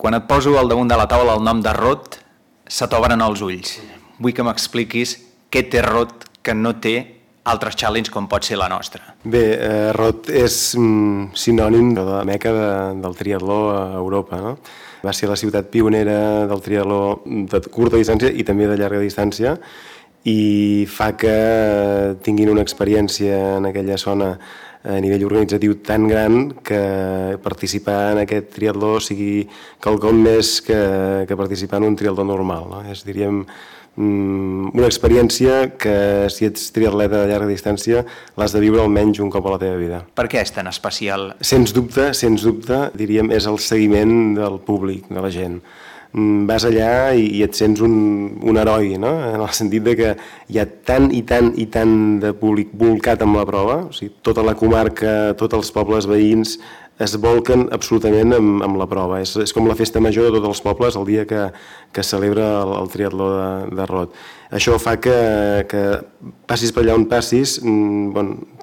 Quan et poso al damunt de la taula el nom de Rot, se t'obren els ulls. Vull que m'expliquis què té Rot que no té altres challenge com pot ser la nostra. Bé, Rot és sinònim de la meca del triatló a Europa, no? Va ser la ciutat pionera del triatló de curta distància i també de llarga distància, i fa que tinguin una experiència en aquella zona a nivell organitzatiu tan gran que participar en aquest triatló sigui quelcom més que participar en un triatló normal, no? És, diríem, una experiència que, si ets triatleta de llarga distància, l'has de viure almenys un cop a la teva vida. Per què és tan especial? Sens dubte, diríem, és el seguiment del públic, de la gent. Vas allà i et sents un heroi, no? En el sentit de que hi ha tant i tant de públic volcat amb la prova, o sigui, tota la comarca, tots els pobles veïns es volquen absolutament amb la prova. És com la festa major de tots els pobles el dia que celebra el triatló de Rot. Això fa que passis per allà on passis,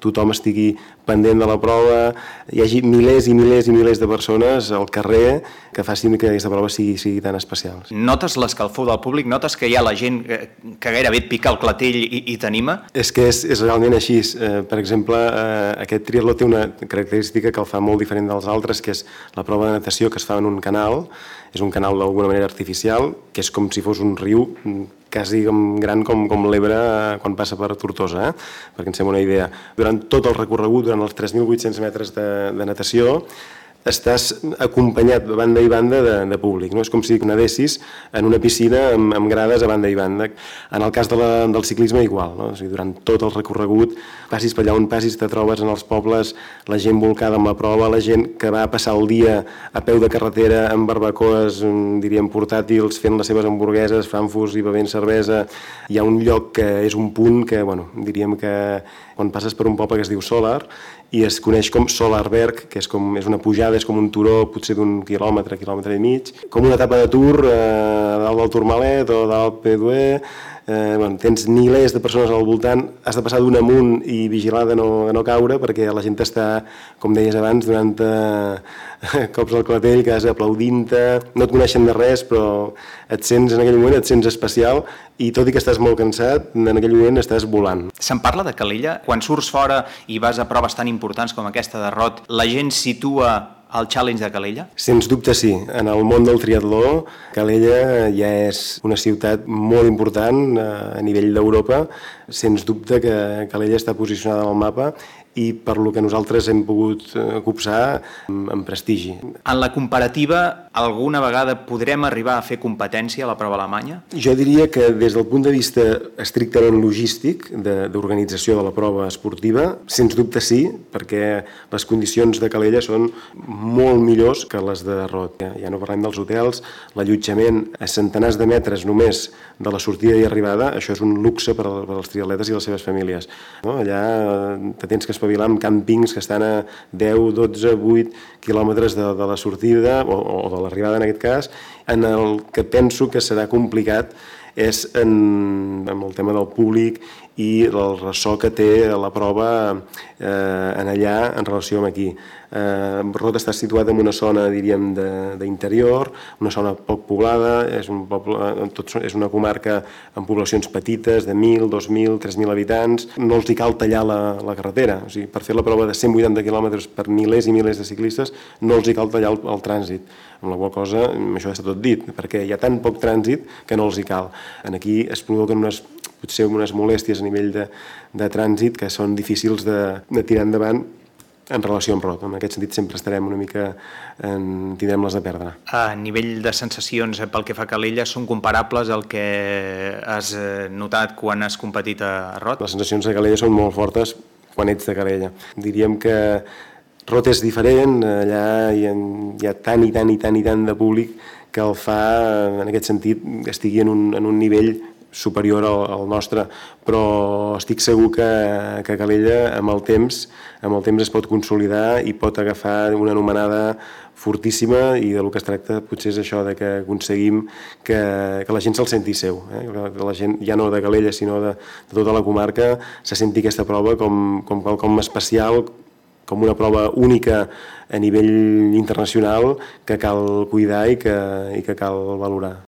tothom estigui pendent de la prova, hi hagi milers i milers i milers de persones al carrer que facin que aquesta prova sigui tan especial. Notes l'escalfor del públic? Notes que hi ha la gent que gairebé et pica el clatell i t'anima? És que és realment així. Per exemple, aquest triatló té una característica que el fa molt diferent dels altres, que és la prova de natació que es fa en un canal. És un canal d'alguna manera artificial, que és com si fos un riu quasi gran com l'Ebre quan passa per Tortosa, perquè ens fem una idea. Durant tot el recorregut, durant els 3.800 metres de natació, estàs acompanyat a banda i banda de públic, no? És com si nedessis en una piscina amb grades a banda i banda. En el cas del ciclisme igual, no? O sigui, durant tot el recorregut, passis per allà on passis, te trobes en els pobles la gent volcada amb la prova, la gent que va passar el dia a peu de carretera amb barbacoes, diríem, portàtils, fent les seves hamburgueses, frankfurts i bevent cervesa. Hi ha un lloc que és un punt que, diríem que quan passes per un poble que es diu Solar, i es coneix com Solarberg, que és una pujada, és com un turó potser d'un quilòmetre i mig, com una etapa de Tour a dalt del Tourmalet o dalt P2E. Tens milers de persones al voltant, has de passar d'un amunt i vigilar de no caure, perquè la gent està, com deies abans, donant cops al clatell, quedes aplaudint-te, no et coneixen de res, però en aquell moment et sents especial, i tot i que estàs molt cansat, en aquell moment estàs volant. Se'n parla de Calella? Quan surts fora i vas a proves tan importants com aquesta de Rot, la gent situa el challenge de Calella? Sens dubte sí. En el món del triatló, Calella ja és una ciutat molt important a nivell d'Europa. Sens dubte que Calella està posicionada en el mapa i per lo que nosaltres hem pogut copsar amb prestigi. En la comparativa, alguna vegada podrem arribar a fer competència a la prova alemanya? Jo diria que des del punt de vista estrictament logístic d'organització de la prova esportiva, sens dubte sí, perquè les condicions de Calella són molt millors que les de Rot. Ja no parlem dels hotels, l'allotjament a centenars de metres només de la sortida i arribada, això és un luxe per als triatletes i les seves famílies. Allà te tens que espavilar amb càmpings que estan a 10, 12, 8 quilòmetres de la sortida o de l'arribada en aquest cas. En el que penso que serà complicat és en el tema del públic i el ressò que té la prova en allà en relació amb aquí. Rot està situat en una zona, diríem, d'interior, una zona poc poblada, és una comarca amb poblacions petites de 1.000, 2.000, 3.000 habitants. No els hi cal tallar la carretera. O sigui, per fer la prova de 180 quilòmetres per milers i milers de ciclistes no els hi cal tallar el trànsit, amb la qual cosa això està tot dit, perquè hi ha tan poc trànsit que no els hi cal. Aquí es provoquen potser unes molèsties a nivell de trànsit que són difícils de tirar endavant en relació amb Rot. En aquest sentit sempre estarem una mica, tindrem les de perdre. A nivell de sensacions pel que fa a Calella són comparables al que has notat quan has competit a Rot? Les sensacions de Calella són molt fortes quan ets de Calella. Diríem que Rot és diferent, allà hi ha tant de públic que el fa, en aquest sentit, que estigui en un nivell superior al nostre, però estic segur que Calella amb el temps es pot consolidar i pot agafar una anomenada fortíssima, i del que es tracta potser és això, de que aconseguim que la gent se'l senti seu, que la gent, ja no de Calella sinó de tota la comarca, se senti aquesta prova com quelcom especial, com una prova única a nivell internacional que cal cuidar i que cal valorar.